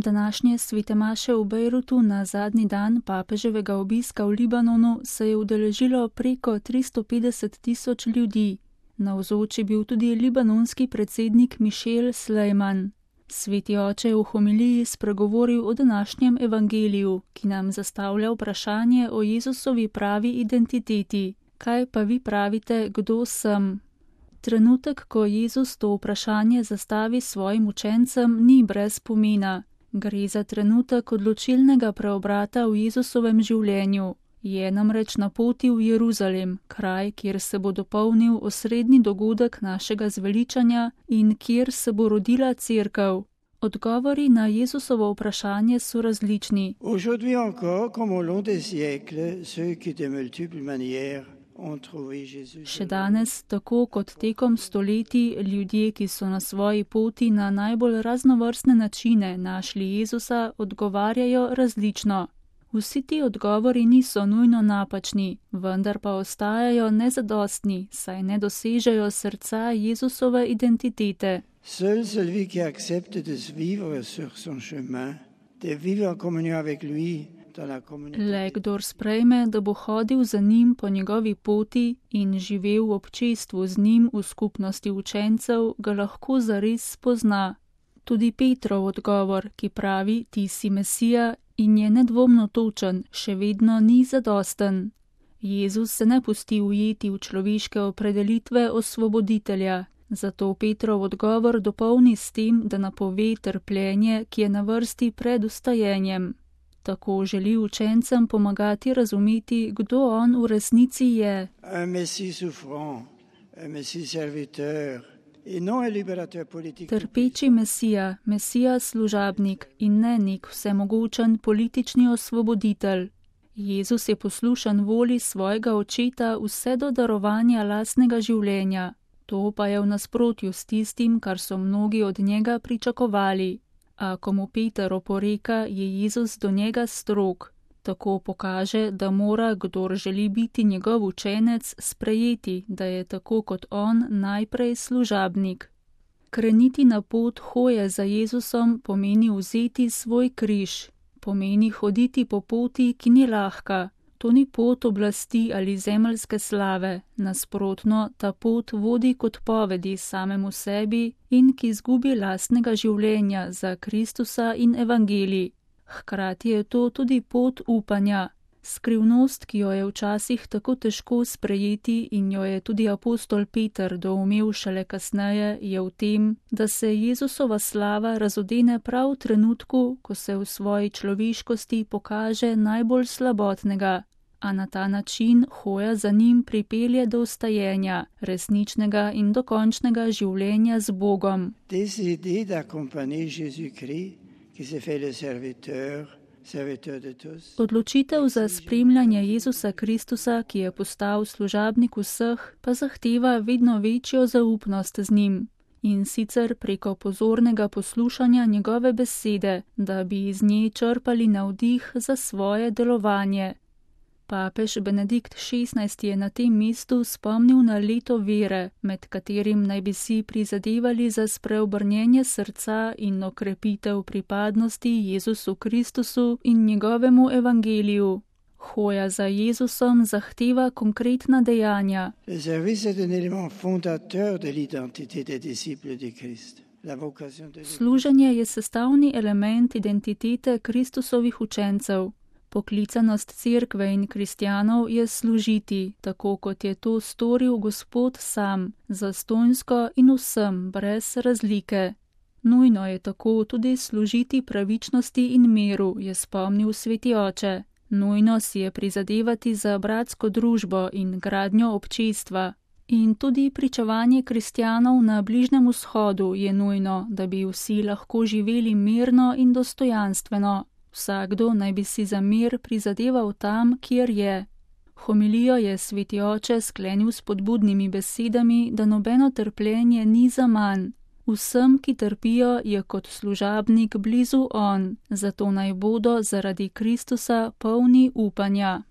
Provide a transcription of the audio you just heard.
Današnje svete maše v Bejrutu na zadnji dan papeževega obiska v Libanonu se je udeležilo preko 350.000 ljudi. Navzoč je bil tudi libanonski predsednik Mišel Slejman. Sveti oče je v homiliji spregovoril o današnjem evangeliju, ki nam zastavlja vprašanje o Jezusovi pravi identiteti. Kaj pa vi pravite, kdo sem? Trenutek, ko Jezus to vprašanje zastavi svojim učencem, ni brez pomena. Gre za trenutek odločilnega preobrata v Jezusovem življenju. Je namreč na poti v Jeruzalem, kraj, kjer se bo dopolnil osrednji dogodek našega zveličanja in kjer se bo rodila cerkev. Odgovori na Jezusovo vprašanje so različni. Aujourd'hui encore, comme au long des siècles, ceux qui de multiples manières ont trouvé Jésus. Še danes, tako kot tekom stoletij, ljudje, ki so na svoji poti na najbolj raznovrstne načine našli Jezusa, odgovarjajo različno. Vsi ti odgovori niso nujno napačni, vendar pa ostajajo nezadostni, saj ne dosežejo srca Jezusove identitete. Seul celui qui accepte de vivre sur son chemin, de vivre en communion avec lui dans la communauté. Le kdor sprejme, da bo hodil za njim po njegovi poti in živel v občestvu z njim v skupnosti učencev, ga lahko zares spozna. Tudi Petrov odgovor, ki pravi, ti si Mesija, in je nedvomno točen, še vedno ni zadosten. Jezus se ne pusti ujeti v človeške opredelitve osvoboditelja, zato Petrov odgovor dopolni s tem, da napove trpljenje, ki je na vrsti pred ustajenjem. Tako želi učencem pomagati razumeti, kdo on v resnici je. Un messie souffrant, un messie serviteur, Trpeči Mesija, Mesija služabnik in ne nek vsemogočen politični osvoboditelj. Jezus je poslušan voli svojega očeta vse do darovanja lastnega življenja. To pa je v nasprotju s tistim, kar so mnogi od njega pričakovali. A ko mu Peter oporeka, je Jezus do njega strog. Tako pokaže, da mora, kdor želi biti njegov učenec, sprejeti, da je tako kot on najprej služabnik. Kreniti na pot hoje za Jezusom pomeni vzeti svoj križ, pomeni hoditi po poti, ki ni lahka. To ni pot oblasti ali zemeljske slave, nasprotno, ta pot vodi kot povedi samemu sebi in k izgubi lastnega življenja za Kristusa in evangelij. Hkrati je to tudi pot upanja. Skrivnost, ki jo je včasih tako težko sprejeti in jo je tudi apostol Peter doumel šele kasneje, je v tem, da se Jezusova slava razodene prav v trenutku, ko se v svoji človeškosti pokaže najbolj slabotnega, a na ta način hoja za njim pripelje do ustajenja, resničnega in dokončnega življenja z Bogom. Odločitev za spremljanje Jezusa Kristusa, ki je postal služabnik vseh, pa zahteva vedno večjo zaupnost z njim. In sicer preko pozornega poslušanja njegove besede, da bi iz nje črpali navdih za svoje delovanje. Papež Benedikt XVI je na tem mestu spomnil na leto vere, med katerim naj bi si prizadevali za spreobrnjenje srca in okrepitev pripadnosti Jezusu Kristusu in njegovemu evangeliju. Hoja za Jezusom zahteva konkretna dejanja. Služenje je sestavni element identitete Kristusovih učencev. Poklicanost cerkve in kristjanov je služiti, tako kot je to storil Gospod sam, zastonjsko in vsem, brez razlike. Nujno je tako tudi služiti pravičnosti in miru, je spomnil sveti oče. Nujno si je prizadevati za bratsko družbo in gradnjo občestva. In tudi pričevanje kristjanov na Bližnjem vzhodu je nujno, da bi vsi lahko živeli mirno in dostojanstveno. Vsakdo naj bi si za mir prizadeval tam, kjer je. Homilijo je sveti oče sklenil s spodbudnimi besedami, da nobeno trpljenje ni zaman. Vsem, ki trpijo, je kot služabnik blizu on, zato naj bodo zaradi Kristusa polni upanja.